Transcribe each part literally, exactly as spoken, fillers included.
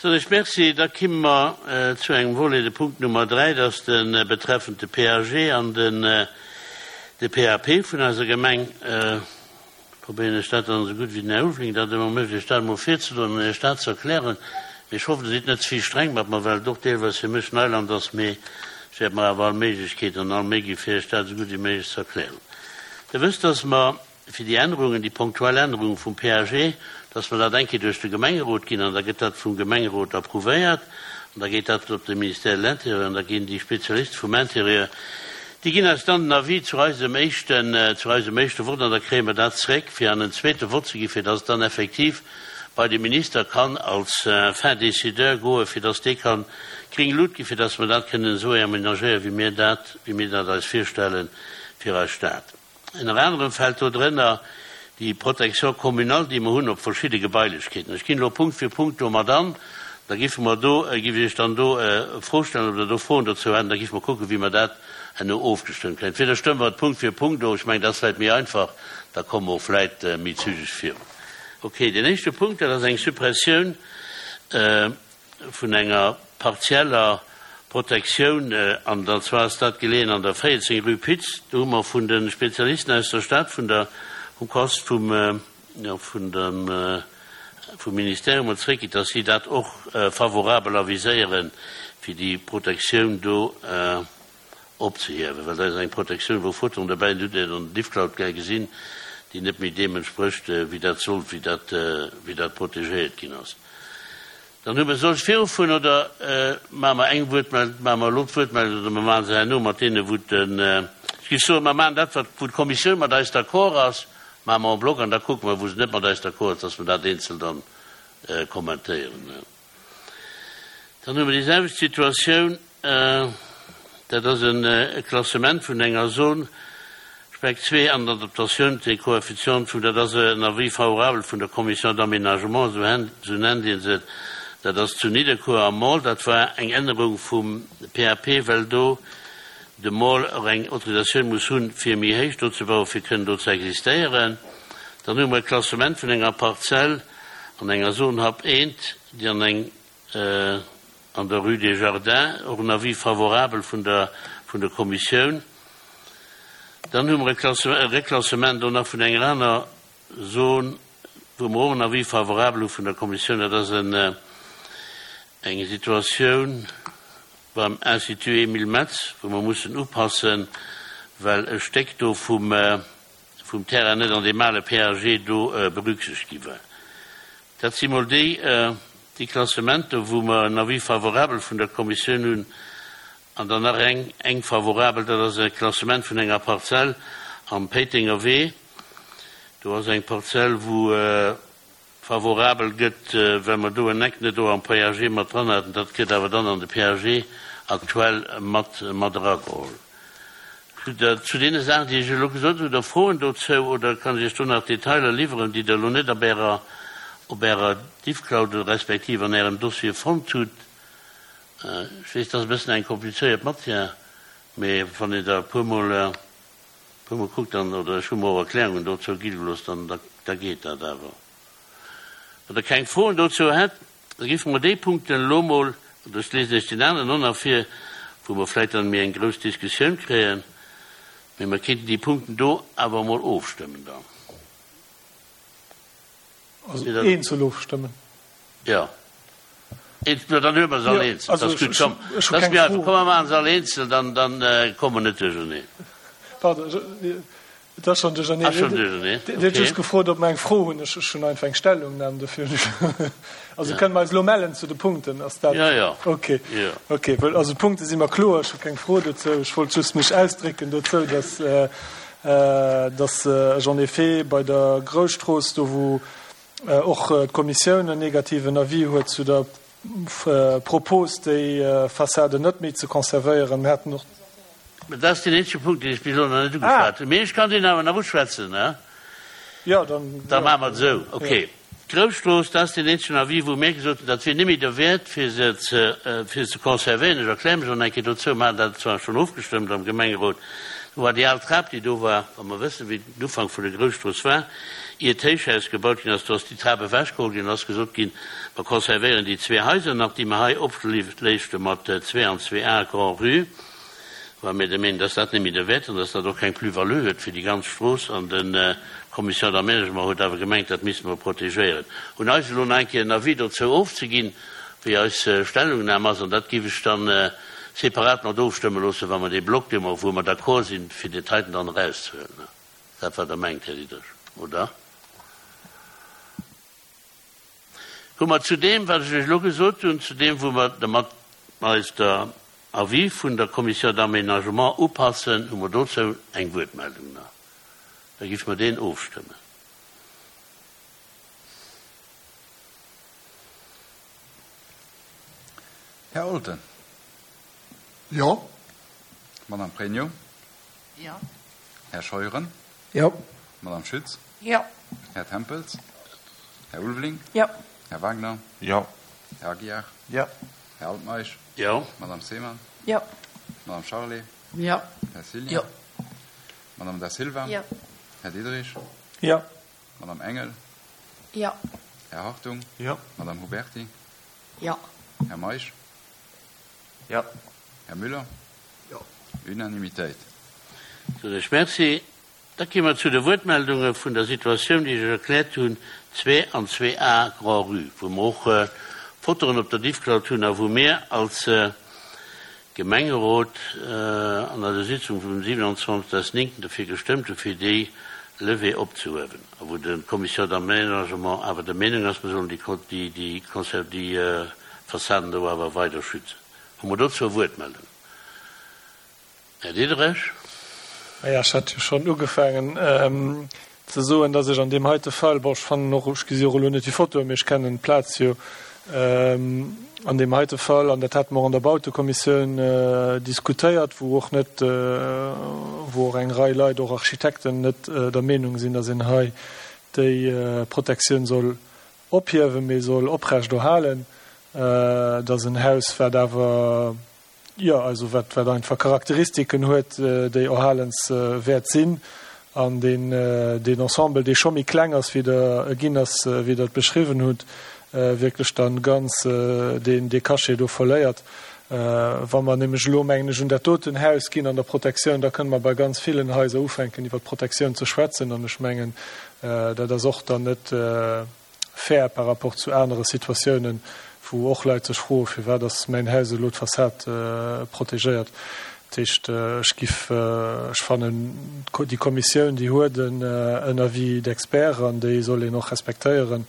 Soen ech Merci. Da kimme mer zu engem Volet, de Punkt Nummer dräi, dat ass de betreffend de P A G an den de P A P vun eiser Gemeng. Probéieren ech dat dann esou gutt wéi den Här Ulveling dat ëmmer mécht, Iech dat emol virzedroen an Iech dat ze erklären. Mee ech hoffen, Der sidd net ze vill streng mat mer, well et och deelweis fir mech Neiland ass. Mee ech wäert mer awer all Méiglechkeet an all Méi gi fir Iech dat esou gutt wéi méiglech ze erklären. Der wësst, dass mer fir déi Ännerungen, déi punktuell Ännerungen vum P A G, dass mer dat eng Kéier duerch de Gemengerot ginn an da gëtt dat vum Gemengerot approuvéiert an da geet dat op de Ministère de l'Intérieur an da ginn déi Spezialiste vum Intérieur, déi ginn eis dann den Avis zu eisem éischten, zu eisem éischte Vott an da kréie mer dat zréck fir an en zweete Vott ze ginn, fir dass et dann effektiv bei de Minister kann als fin décideur goen, fir dass dee kann gréng Lut ginn, fir dass mer dat kënnen esou aménagéieren, wéi mir dat, wéi mir dat eis virstelle fir eis Stad. Ënner anerem fält do drënner déi Protection communale, déi mer hunn op verschidde Gebailechkeeten. Ech ginn elo Punkt fir Punkt domat an, da giffe mer do, giff ech Iech dann do Fro stellen, ob Der do Froen dozou hätt, da giffe mer kucken, wéi mer dat herno ofgestëmmt kréien. Entweder stëmme mer et Punkt fir Punkt of, ech mengen, dat ass vläicht méi einfach, da komme mer och vläicht méi zügeg virun. Okay, deen éischte Punkt, dat ass eng Suppressioun vun enger partieller Protektioun, an dat zwar ass dat geleeën an der véierzéng rue Pitz. Do hu mer vun de Spezialisten aus der Stad, vun der, vum Kost, vum, jo, vun dem, vum Ministère hu mer zréckkritt, dass si dat och favorabel aviséieren, fir déi Protektioun do opzehiewen, well dat ass eng Protektioun, wou Fotoen derbäi sinn, hutt Dir an der Diffcloud gär gesinn, déi net méi deem entsprécht, wéi dat sollt, wéi dat, wéi dat protegéiert ginn ass. Dann hu mer, soll ech virufueren oder maache mer eng Wuertmeldung, maache mer elo d'Wuertmeldung oder mer maache se herno mat deene wou den, ech géif soen, mer maachen dat wat wou d'Kommissioun mat eis d'accord ass, maache mer en bloc an da kucke mer wou se net mat eis d'accord ass, dass mer dat eenzel dann kommentéieren. Dann hu mer déi selwecht Situatioun, dat ass e Klassement vun enger Zone Spec zwee an d'Adaptatioun des coefficients vun, dat ass en Avis favorable vun der Commission d'aménagement, esou nennt ee se, dat ass zu Nidderkuer am Mall. Dat war eng Ännerung vum P A P, well do de Mall och eng Autorisatioun muss hunn, fir méi héich do ze bauen, fir kënnen do ze existéieren. Dann hu mer e Klassement vun enger Parzell an enger Zone H A P eent, déi an eng an der Rue des Jardins, och en Avis favorable vun der vun der Kommissioun. Dann hu mer e Reklassement do nach vun enger aner Zon, wou mer och en Avis favorable hu vun der Kommissioun. Dat ass en eng Situatioun beim Institut Emile Metz, wou mer mussen upassen, well e Stéck do vum vum Terrain net an deem ale P A G do berücksichtegt gi war. Dat si mol déi déi Klassementer, wou mer en Avis favorable vun der Kommissioun hunn. An dann nach eng eng favorabel, dat ass e Klassement vun enger Parzell am Péitenger Wee. Do ass eng Parzell, wou favorabel gëtt, well mer do en Eck net do am P A G mat dran haten. Dat gëtt awer dann an de P A G aktuell mat mat erageholl. Hutt Der zu deene Saachen, déi ech elo gesot hunn, hutt Der Froen dozou oder kann ech Iech do nach Detailer liwweren, déi Der elo net op Ärer op Ärer Diffcloud respektiv an Ärem Dossier fonnt hutt? Ech weess, dat ass e bëssen eng komplizéiert Matière, mee wann een der e puermol e puermol kuckt, dann, oder ech hu mer och Erklärungen dozou gi gelooss, dann da da geet dat awer. Wann Der keng Froen dozou hätt, da géife mer déi Punkten elo mol, oder ech liesen Iech deen aneren och nach vir, wou mer vläicht dann méi eng grouss Diskussioun kréien, mee mer kéinten déi Punkten do awer emol ofstëmmen dann. Also eenzel ofstëmmen? Jo. Eenzel, dann huele mer se all eenzel. Dat ass gutt. Komm, dat ass méi einfach. Komm, mer maache se all eenzel, dann, dann komme mer net duercherneen. Pardon, et ass schonn duercherneen. Ass schonn duercherneen, okay. Dir hutt just gefrot, ob mer eng Fro hunn. Ech hunn einfach eng Stellungnam dofir. Also kënne mer eis elo mellen zu de Punkten? Ass dat? Jo, jo. Okay. Jo. Okay, well also d'Punkte si mer kloer. Ech hu keng Fro dozou. Ech wollt just mech ausdrécken dozou, dass, dass ech en effet bei der Grousstrooss, do wou och d'Kommissioun en negativen Avis huet zu der Propos, déi Fassade net méi ze conservéieren, mir haten och. Dat ass deen eenzege Punkt, deen ech bis elo nach net ugeschwat hunn. Mee ech kann deen awer nach uschwätzen, ne? Jo, dann. Da maache mer et esou. Okay. D'Grousstrooss, dat ass deen eenzegen Avis, wou mir gesot hunn, dat wier net méi derwäert, fir se ze, fir se ze conservéieren. Ech erkläre mech och nach eng Kéier dozou. Mir haten dat zwar schonn ofgestëmmt am Gemengerot. Do war déi al Trap, déi do war, wa mer wëssen, wéi den Ufank vun der Grousstrooss war, ier d'Héichhaus gebaut ginn ass, do ass déi Trap ewechgeholl ginn, ass gesot ginn, mer konservéieren déi zwee Haiser nach, déi mer hei opléichte mat zwee an zwee A Grand-Rue, well mir der Meenung, dass dat net méi derwäert an dass dat och keng Plus-value huet fir déi ganz Strooss. An de Commission d'aménagement huet awer gemengt, dat misste mer protegéieren. Un eis elo nach eng Kéier en Avis dozou ofzeginn, wéi eis Stellungnam ass, an dat géif ech dann separat mat ofstëmme loossen, wa mer dee Block, dee mer, wou mer d'accord sinn, fir déi heiten dann erauszehuelen. Dat wat Der mengt, Här Diderich, oder? Hu mer zu deem, wat ech lech elo gesot hunn, zu deem, wou mer dermat eis der Avis vun der Commission d'aménagement upassen, hu mer dozou eng Wuertmeldung nach? Da géife mer deen ofstëmmen. Här Olten. Jo. Madame Pregno. Jo. Här Scheuren. Jo. Madame Schütz. Jo. Här Tempels. Här Ulveling. Jo. Här Wagner. Jo. Här Aguiar. Jo. Här Altmeisch. Jo. Madame Seemann. Jo. Madame Charlé. Jo. Här Cillien. Jo. Madame Da Silva. Jo. Här Diderich. Jo. Madame Engel. Jo. Här Hartung. Jo. Madame Huberti. Jo. Här Meisch. Jo. Här Müller. Jo. Unanimitéit. Soen ech Merci. Da gi mer zu de Wuertmeldunge vun der Situatioun, déi ech erkläert hunn, zwee an zwee A Grand-Rue, wou mer och Fotoen op der Diffcloud hunn a wou mir als Gemengerot an eiser Sitzung vum siewenundzwanzigsten néngten dofir gestëmmt hu fir déi Levée opzehuewen a wou de Commission d'aménagement awer der Meenung ass, mer sollen déi, déi, déi Fassaden do awer weider schützen. Hu mer dozou e Wuertmeldung? Här Diderich. Naja, ech hat jo schonn ugefaangen ze soen, dass ech an deem heite Fall, bon, ech fannen och, ech gesi och elo net déi Fotoen, mee ech kennen d'Plaz jo, an deem heite Fall, an dat hate mer och an der Bautekommissioun diskutéiert, wou och net, wou och eng Rei Leit, och Architekten, net der Meenung sinn, dass een hei déi Protektioun soll ophiewen, mee soll oprechterhalen, dass en Haus, wat awer, jo, also wat, wat einfach Charakteristiken huet, déi erhalenswäert sinn, an deen, deen Ensemble, dee scho méi kleng ass, wéi der e ginn ass, wéi Der et beschriwwen hutt, wierklech dann ganz deen, dee Cachet do verléiert. Wa mer nämlech elo, mengen ech, un dat doten Haus ginn an der Protektioun, da kënne mer bei ganz villen Haiser ufänken, iwwer d'Protektioun ze schwätzen, an ech mengen, dat ass och dann net fair par rapport zu anere Situatiounen, wou och Leit sech froen, firwat ass mäin Haus elo d'Fassad protegéiert. Dat heescht, ech giff, ech fannen, déi Kommissioun, déi huet en Avis d'experts an déi soll een och respektéieren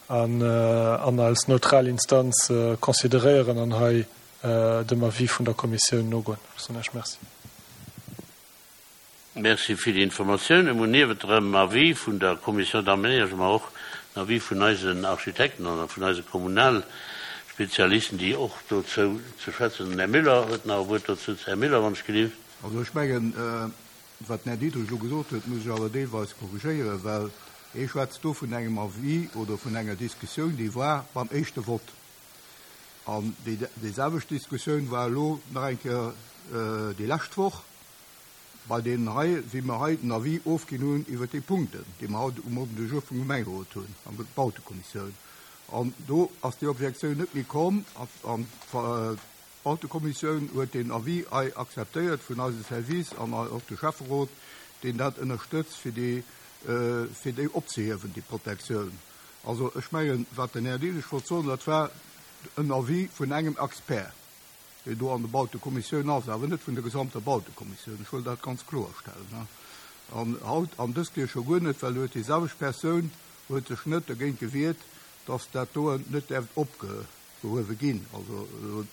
an an als neutral Instanz consideréieren an hei dem Avis vun der Kommissioun nogoen. Ech soen Iech Merci. Merci fir déi Informatiounen. Mir hunn niewent dem Avis vun der Commission d'aménagement och en Avis vun eisen Architekten an vun eise Kommunalspezialisten, déi och dozou ze schwätzen. Den Här Müller huet nach e Wuert dozou. Här Müller, wann ech gelift. Also ech mengen, wat den Här Diderich elo gesot huet, muss ech awer deelweis korrigéieren, well hie schwätzt do vun engem Avis oder vun enger Diskussioun, déi war beim éischte Vott. An déi, déi selwecht Diskussioun war elo nach eng Kéier déi lescht Woch bei deenen hei, wéi mer hei den Avis ofginn hunn iwwert déi Punkten, déi mer haut um Ordre du jour vum Gemengerot hunn, an der Bautekommissioun. An do ass déi Objektioun net méi komm an d'Bautekommissioun huet den Avis hei akzeptéiert vun eise Service an och de Schäfferot, deen dat ënnerstëtzt, fir déi, fir déi opzehiewen, déi Protektioun. Also ech mengen, wat den Här Diderich wollt soen, dat war en Avis vun engem Expert, deen do an der Bautekommissioun ass, awer net vun der gesamter Bautekommissioun. Ech wëll dat ganz kloerstellen. An haut an dës Kéier scho guer net, well huet déi selwecht Persoun huet sech net dergéint gewiert, dass dat do net däerft opgehuewe ginn, also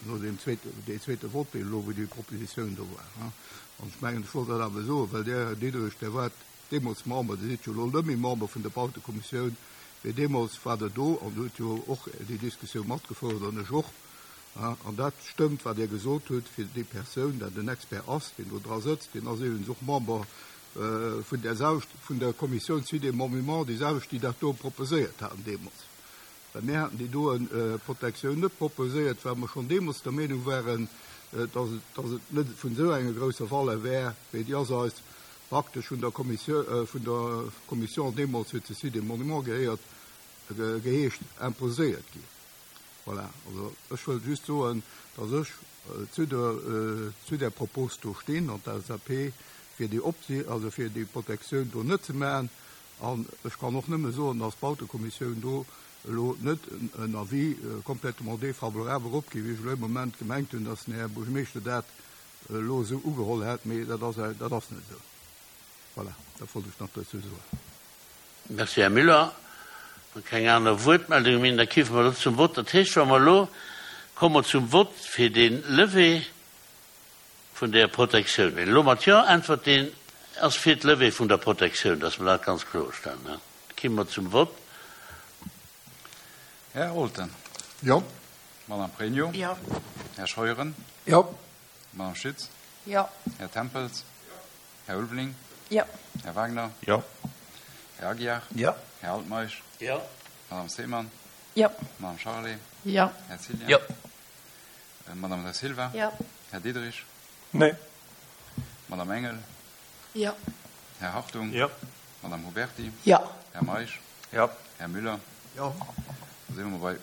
no deem zweete, dee zweete Vote, elo wou déi Propositioun do war. An ech mengen, ech wollt dat awer soen, well der Här Diderich, der war deemools Member, Dir sidd jo elo net méi Member vun der Bautekommissioun, mee deemools war der do an huet jo och déi Diskussioun matgefouert an ech och. An dat stëmmt, wat Dir gesot hutt, fir déi Persoun, dat en Expert ass, deen do dra sëtzt, deen ass iwwregens och Member vun der selwecht, vun der Kommissioun zu deem Moment, déi selwecht, déi dat do proposéiert haten deemools. Well mir haten déi doen Protektioun net proposéiert, well mer schonn deemools der Meenung waren, dass et, dass et net vun esou enger grousser Valeur wär, wéi déi ass eis praktesch vun der Kommissioun, äh, vun der Kommission deemools huet se Sites et Monuments gehéiert, ge, geheescht, imposéiert ginn. Voilà. Also ech wëll just soen, dass ech äh, zu der, äh, zu der Propos do stinn an d'LSAP fir déi Opsi also fir déi Protektioun do net ze maachen. An ech kann och nëmme soen, dass d'Bautekommissioun do elo net en Avis äh, complètement défavorable eropginn, wéi ech elo am Moment gemengt hunn, dass den Här Buergermeeschter dat elo esou ugeholl hätt, mee dat ass, dat ass net esou. Voilà, dat wollt ech nach dozou soen. Merci, Här Müller. Keng aner Wuertmeldung méi, da kiffe mer zum Vott. Dat heescht, wa mer elo komme mer zum Vott fir den Levée vun der Protektioun. Wien elo mat Jo äntwert, deen ass fir d'Levée vun der Protektioun, dass mer dat ganz kloerstellen. Ne? Komme mer zum Vott. Här Olten. Jo. Madame Pregno. Jo. Här Scheuren. Jo. Madame Schütz. Jo. Här Tempels. Här Ulveling. Jo. Här Wagner. Jo. Här Aguiar. Jo. Här Altmeisch. Jo. Madame Seemann. Jo. Madame Charlé. Jo. Här Cillien. Jo. Äh, Madame da Silva. Jo. Här Diderich. Nee. Madame Engel. Jo. Här Hartung. Jo. Madame Huberti. Jo. Här Meisch. Jo. Här Müller. Jo. Da si mer bei